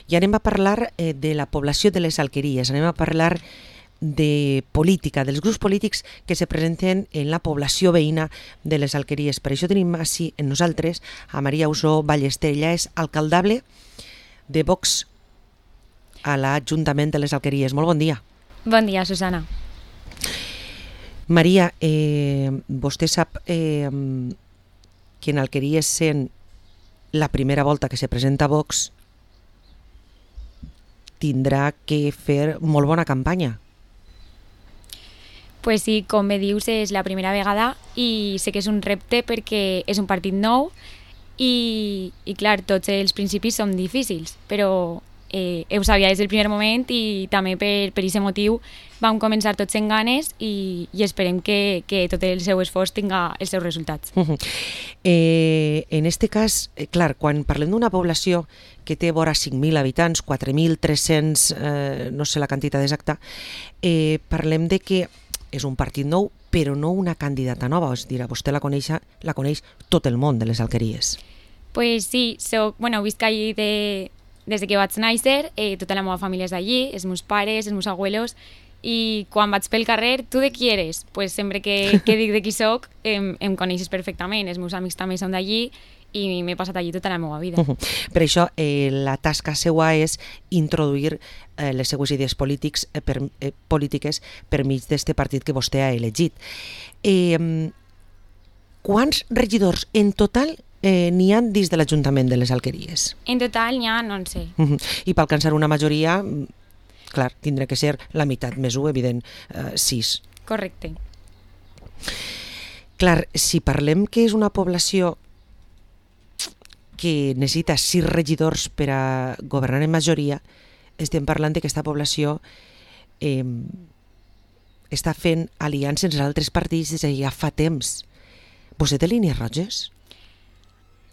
i anem a parlar de la població de les Alqueries, anem a parlar de política, dels grups polítics que se presenten en la població veïna de les Alqueries. Per això tenim així en nosaltres a Maria Usó Ballester. Ella és alcaldable de Vox a l'Ajuntament de les Alqueries. Molt bon dia. Bon dia, Susana. Maria, vostè sap que en Alqueries, sent la primera volta que se presenta Vox, tindrà que fer molt bona campanya. Pues sí, com bé dius, és la primera vegada i sé que és un repte perquè és un partit nou i clar, tots els principis són difícils, però ho sabia des del primer moment i també per aquest motiu vam començar tots en ganes i esperem que tot el seu esforç tinga els seus resultats. En este cas, clar, quan parlem d'una població que té vora 5.000 habitants, 4.300, no sé la quantitat exacta, parlem de que és un partit nou, però no una candidata nova. És a dir, vostè la coneix tot el món de les Alqueries. Pues sí, visc allí des que vaig néixer, tota la meva família és d'allí, els meus pares, els meus abuelos, i quan vaig pel carrer, tu de qui eres? Pues sempre que dic de qui soc, em coneixes perfectament, els meus amics també són d'allí, i m'he passat allí tota la meva vida. Per això, la tasca seva és introduir les seues idees polítiques per mig d'aquest partit que vostè ha elegit. Quants regidors en total n'hi ha dins de l'Ajuntament de les Alqueries? En total n'hi ha 11. I per alcançar una majoria, clar, tindrà que ser la meitat més 1, evident, 6. Correcte. Clar, si parlem que és una població que necessita 6 regidors per a governar en majoria, estem parlant que aquesta població està fent aliances entre altres partits des de ja fa temps. Vostè té línies roges?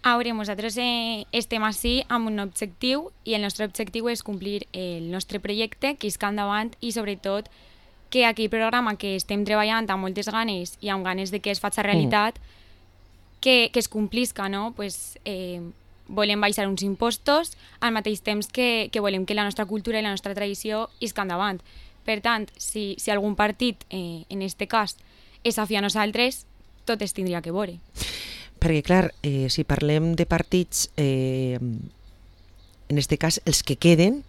A veure, nosaltres estem així amb un objectiu i el nostre objectiu és complir el nostre projecte, que isca endavant i sobretot que aquell programa que estem treballant amb moltes ganes i amb ganes de que es faci realitat, que es complisca, no? Pues, volem baixar uns impostos al mateix temps que volem que la nostra cultura i la nostra tradició isca endavant. Per tant, si algun partit, en aquest cas, és afí a nosaltres, tot es tindria que veure. Perquè, clar, si parlem de partits, en aquest cas, els que queden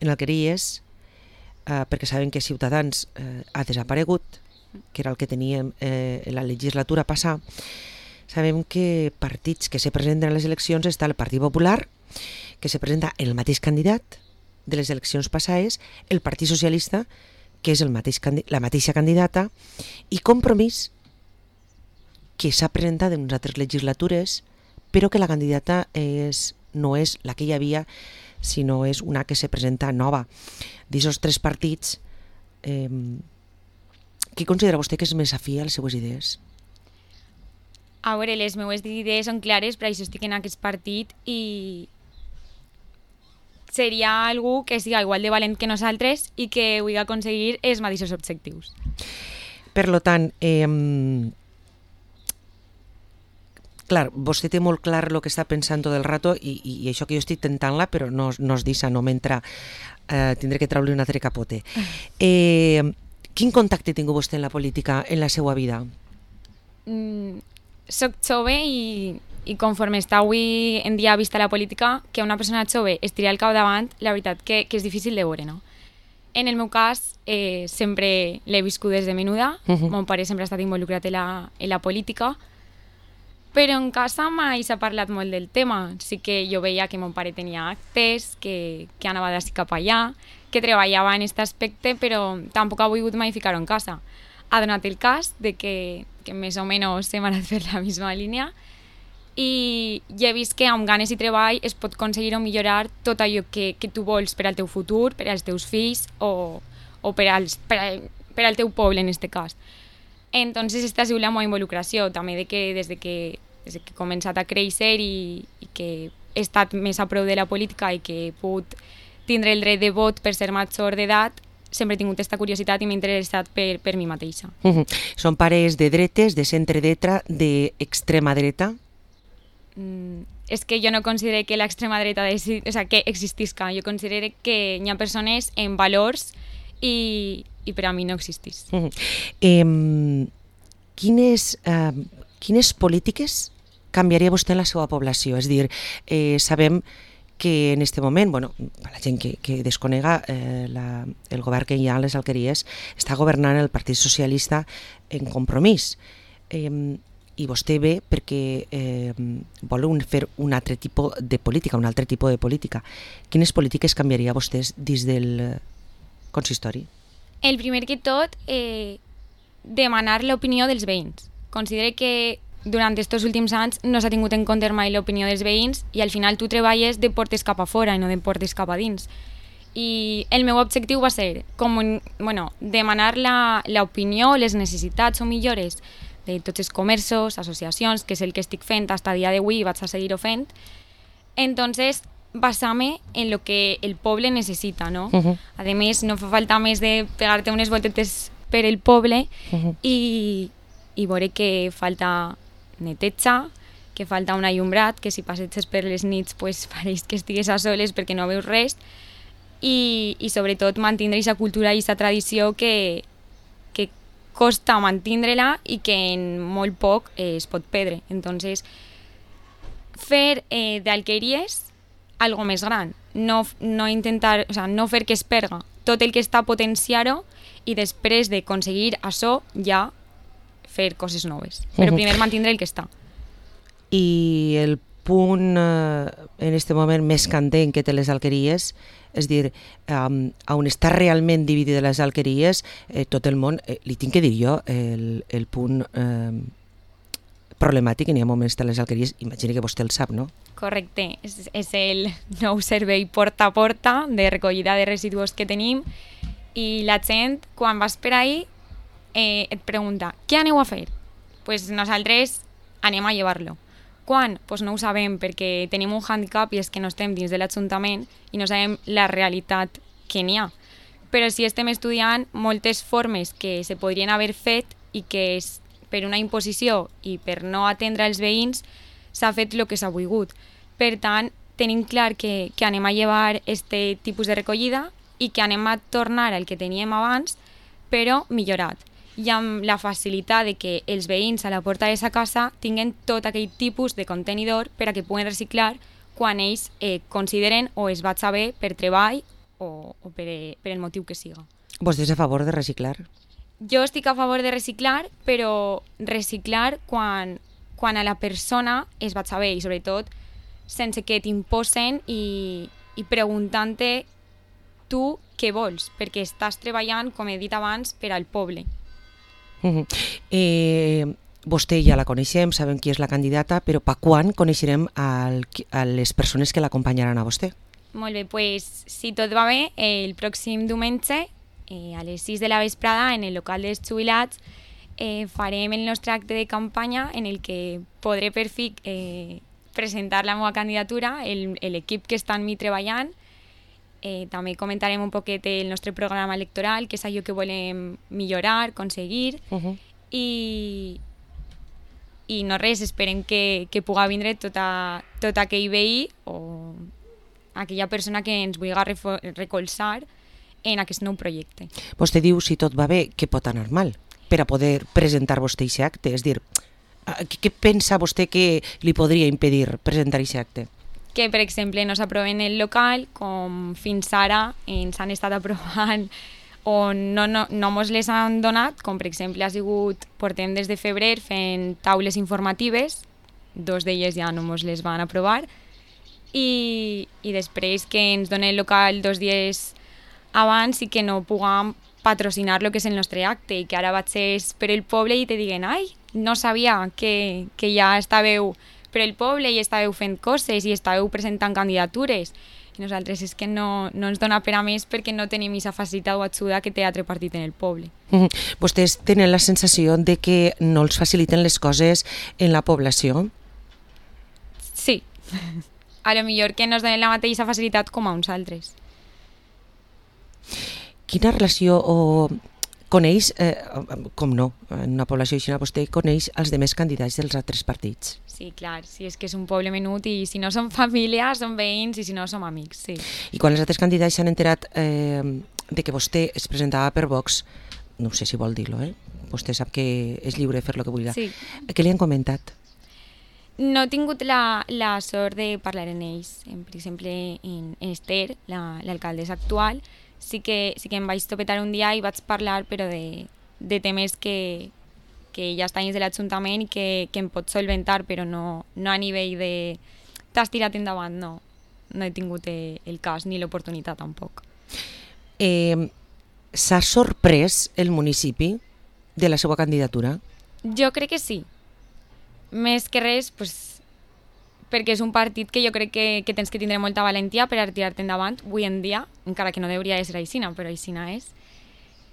en Alqueries, perquè sabem que Ciutadans ha desaparegut, que era el que teníem en la legislatura passada, sabem que partits que se presenten a les eleccions està el Partit Popular, que se presenta el mateix candidat de les eleccions passades, el Partit Socialista, que és la mateixa candidata, i Compromís, que s'ha presentat en unes altres legislatures, però que la candidata no és la que hi havia, sinó és una que se presenta nova. D'aquests 3 partits, qui considera vostè que és més afí a les seues idees? A veure, les meves idees són clares, per això estic en aquest partit i seria algú que siga igual de valent que nosaltres i que vulgui aconseguir els mateixos objectius. Per tant, clar, vostè té molt clar el que està pensant tot el rato i això que jo estic tentant-la, però no es deixa, no m'entra, tindré que treure un altre capote. Quin contacte ha tingut vostè en la política en la seva vida? Soc jove i conforme està avui en dia vista la política, que una persona jove es tiri al capdavant, la veritat que és difícil de veure, no? En el meu cas, sempre l'he viscut des de menuda, mon pare sempre ha estat involucrat en la política, però en casa mai s'ha parlat molt del tema. Sí que jo veia que mon pare tenia actes, que anava d'ací cap allà, que treballava en aquest aspecte, però tampoc ha volgut mai ficar-ho en casa. Ha donat el cas de que més o menys hem anat per la misma línia i he vist que amb ganes i treball es pot aconseguir o millorar tot allò que tu vols per al teu futur, per als teus fills o per al teu poble en aquest cas. Entonces esta ha sigut la meva involucració, també des que he començat a créixer i que he estat més a prop de la política i que he pogut tindre el dret de vot per ser major d'edat, sempre he tingut aquesta curiositat i m'he interessat per mi mateixa. Són pares de dretes, de centre-dreta, d'extrema dreta? és que jo no considero que l'extrema dreta que existisca. Jo considero que hi ha persones amb valors i per a mi no existís. Quines polítiques canviaria vostè en la seva població? És a dir, sabem que en aquest moment, per la gent que desconega, el govern que hi ha a les Alqueries està governant el Partit Socialista en Compromís. I vostè ve perquè vol fer un altre tipus de política, Quines polítiques canviaria vostès dins del consistori? El primer que tot, demanar l'opinió dels veïns. Considero que durant aquests últims anys no s'ha tingut en compte mai l'opinió dels veïns i al final tu treballes de portes cap a fora i no de portes cap a dins. I el meu objectiu va ser demanar l'opinió, les necessitats o millores de tots els comerços, associacions, que és el que estic fent fins a dia d'avui i vaig a seguir-ho fent. Entonces, basar-me en lo que el poble necessita, no? A més, no fa falta més de pegar-te unes voltetes per el poble i veure que falta neteja, que falta un allumbrat, que si passeges per les nits pues, pareix que estigues a soles perquè no veus res i sobretot mantindre aquesta cultura i aquesta tradició que costa mantindre-la i que en molt poc es pot perdre. Entonces, fer d'Alqueries algo més gran, no intentar, no fer que es perga tot el que està potenciar-ho i després d'aconseguir això ja fer coses noves, però primer mantindre el que està. I el punt en aquest moment més candent que té les Alqueries, és dir, on està realment dividida les Alqueries, tot el món, li tinc que dir jo, el punt problemàtic, n'hi ha moments de les Alqueries, imagina que vostè el sap, no? Correcte, és el nou servei porta a porta de recollida de residus que tenim i la gent, quan vas per ahí, et pregunta, què aneu a fer? Pues nosaltres anem a llevar-lo. Quan? Pues no ho sabem perquè tenim un handicap i és que no estem dins de l'Ajuntament i no sabem la realitat que n'hi ha. Però sí estem estudiant moltes formes que se podrien haver fet i que per una imposició i per no atendre els veïns s'ha fet el que s'ha volgut. Per tant, tenim clar que anem a llevar aquest tipus de recollida i que anem a tornar al que teníem abans, però millorat. I amb la facilitat de que els veïns a la porta de sa casa tinguen tot aquell tipus de contenidor per a que puguen reciclar quan ells consideren o es va saber per treball o per el motiu que siga. Vostè és a favor de reciclar? Jo estic a favor de reciclar, però reciclar quan a la persona es va saber i sobretot sense que t'imposen i preguntant-te tu què vols, perquè estàs treballant, com he dit abans, per al poble. Vostè ja la coneixem, sabem qui és la candidata, però per quan coneixerem a les persones que l'acompanyaran a vostè? Molt bé, pues, si tot va bé, el pròxim diumenge, a les 6 de la vesprada, en el local dels jubilats, farem el nostre acte de campanya en el que podré per fi presentar la meva candidatura, l'equip que està en mi treballant. També comentarem un poquet el nostre programa electoral, que és allò que volem millorar, aconseguir, i no res, esperem que pugui vindre tot aquell veí o aquella persona que ens vulgui recolzar en aquest nou projecte. Vostè diu, si tot va bé, que pot anar mal per a poder presentar vostè aquest acte? És dir, què pensa vostè que li podria impedir presentar aquest acte? Que, per exemple, no s'aproven el local, com fins ara ens han estat aprovant o no mos les han donat, com per exemple portem des de febrer fent taules informatives, 2 d'elles ja no mos les van aprovar, i després que ens donen el local 2 dies abans i que no puguem patrocinar el que és el nostre acte i que ara vaig per el poble i te diguen ai, no sabia que ja estàveu per el poble i estàveu fent coses i estàveu presentant candidatures. I nosaltres és que no ens dona per a més perquè no tenim aquesta facilitat o ajuda que té altre partit en el poble. Vostès tenen la sensació de que no els faciliten les coses en la població? Sí. A lo millor que no ens donen la mateixa facilitat com a uns altres. Quina relació o coneix, com no, en una població així, vostè coneix els demés candidats dels altres partits. Sí, clar, sí, és que és un poble menut i si no som família, som veïns i si no som amics, sí. I quan els altres candidats s'han enterat de que vostè es presentava per Vox, no sé si vol dir-lo, vostè sap que és lliure de fer el que vulgui. Sí. Què li han comentat? No he tingut la sort de parlar en ells. Per exemple, en Esther, l'alcaldessa actual, sí que em vaig topetar un dia i vaig parlar però de temes que ja estan dins de l'Ajuntament i que em pot solventar, però no a nivell de t'has tirat endavant, no he tingut el cas ni l'oportunitat tampoc. S'ha sorprès el municipi de la seva candidatura? Jo crec que sí. Més que res, pues, perquè és un partit que jo crec que tens que tindre molta valentia per a tirar-te endavant avui en dia, encara que no hauria de ser aixina, però aixina és.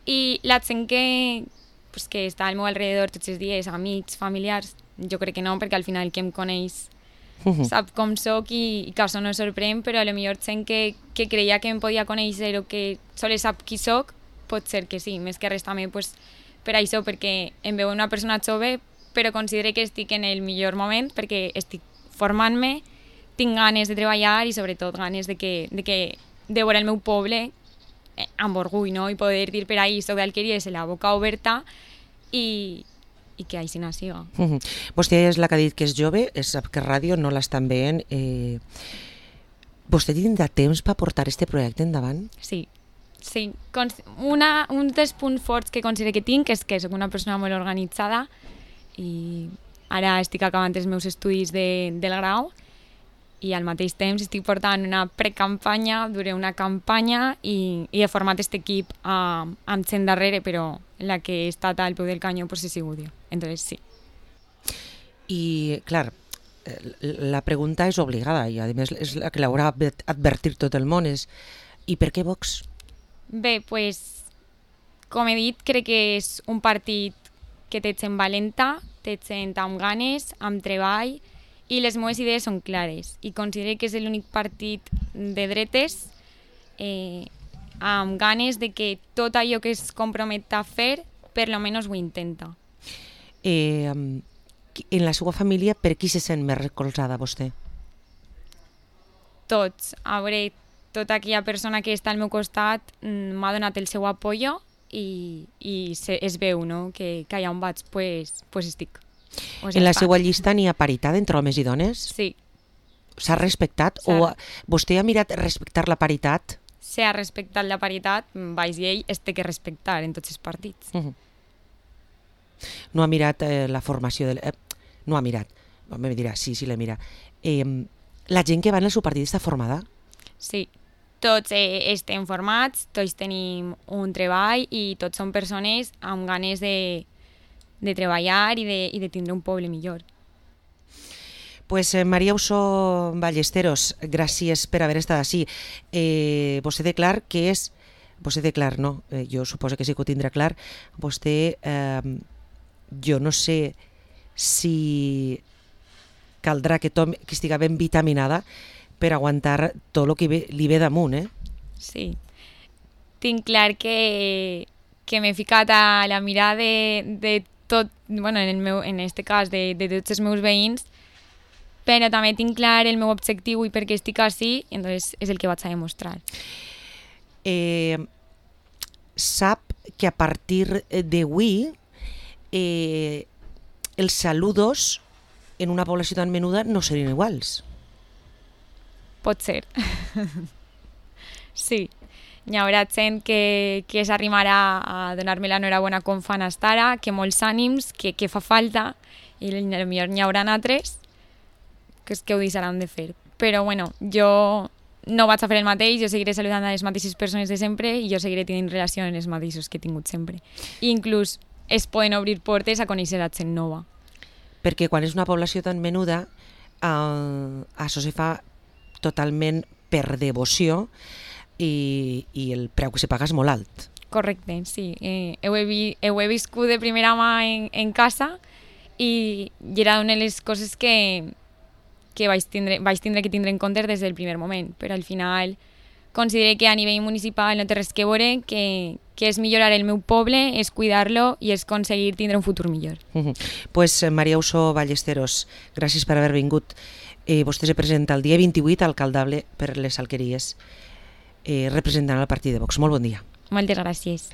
I la gent que està al meu alrededor tots els dies, amics, familiars, jo crec que no, perquè al final qui em coneix sap com soc i que això no sorprèn, però potser gent que creia que em podia conèixer o que sols sap qui soc, pot ser que sí, més que res també per això, perquè em veu una persona jove, però considero que estic en el millor moment perquè estic formant-me, tinc ganes de treballar i sobretot ganes de veure el meu poble amb orgull, no? I poder dir per ahí soc d'Alqueries amb la boca oberta i que així no siga. Vostè és la que ha dit que és jove, sap que ràdio no l'estan veient. Vostè tindrà temps per portar aquest projecte endavant? Sí. Un dels punts forts que considero que tinc és que soc una persona molt organitzada i ara estic acabant els meus estudis del grau i al mateix temps estic portant una precampanya, duré una campanya i he format aquest equip amb gent darrere, però la que he estat al peu del canyó he sigut jo, entonces sí. I, clar, la pregunta és obligada i a més és la que l'haurà advertir tot el món, és i per què Vox? Bé, com he dit, crec que és un partit que té gent valenta, té gent amb ganes, amb treball, i les meves idees són clares. I considero que és l'únic partit de dretes amb ganes de que tot allò que es compromet a fer, per lo menos ho intenta. En la seva família, per qui se sent més recolzada vostè? Tots. A veure, tota aquella persona que està al meu costat m'ha donat el seu apoyo i es veu, no? Que allà on vaig, pues estic. En la seva llista n'hi ha paritat entre homes i dones? Sí. S'ha respectat? O vostè ha mirat respectar la paritat? S'ha respectat la paritat, baix llei es té que respectar en tots els partits. No ha mirat la formació del... No ha mirat. Me dirà, sí, l'he mirat. La gent que va en el seu partit està formada? Sí. Tots estem formats, tots tenim un treball i tots som persones amb ganes de treballar i de tindre un poble millor. Pues María Uso Ballesteros, gràcies per haver estat així. Vostè té clar que és... Vostè té clar, no? Jo suposo que sí que ho tindrà clar. Vostè, jo no sé si caldrà que estigui ben vitaminada per aguantar tot el que li ve damunt, Sí. Tinc clar que m'he ficat a la mirada de tot, bueno, en este cas de tots els meus veïns, però també tinc clar el meu objectiu i per què estic així, i entonces és el que vaig a demostrar. Sap que a partir d'avui els saludos en una població tan menuda no serien iguals. Pot ser. Sí. Hi haurà gent que s'arrimarà a donar-me l'enhorabona com fan estar ara, que molts ànims, que fa falta, i potser n'hi haurà altres que ho deixaran de fer. Però bueno, jo no vaig a fer el mateix, jo seguiré saludant a les mateixes persones de sempre i jo seguiré tenint relació amb els mateixos que he tingut sempre. I inclús es poden obrir portes a conèixer a gent nova. Perquè quan és una població tan menuda, això se fa totalment per devoció i el preu que se paga és molt alt. Correcte, sí. Ho he viscut de primera mà en casa i era una de les coses que vaig tindre que tindre en compte des del primer moment, però al final considero que a nivell municipal no té res que veure, que que és millorar el meu poble, és cuidar-lo i és aconseguir tindre un futur millor. Pues Maria Uso Ballesteros, gràcies per haver vingut. Vostè se presenta el dia 28 alcaldable per les Alqueries, representant el partit de Vox. Molt bon dia. Moltes gràcies.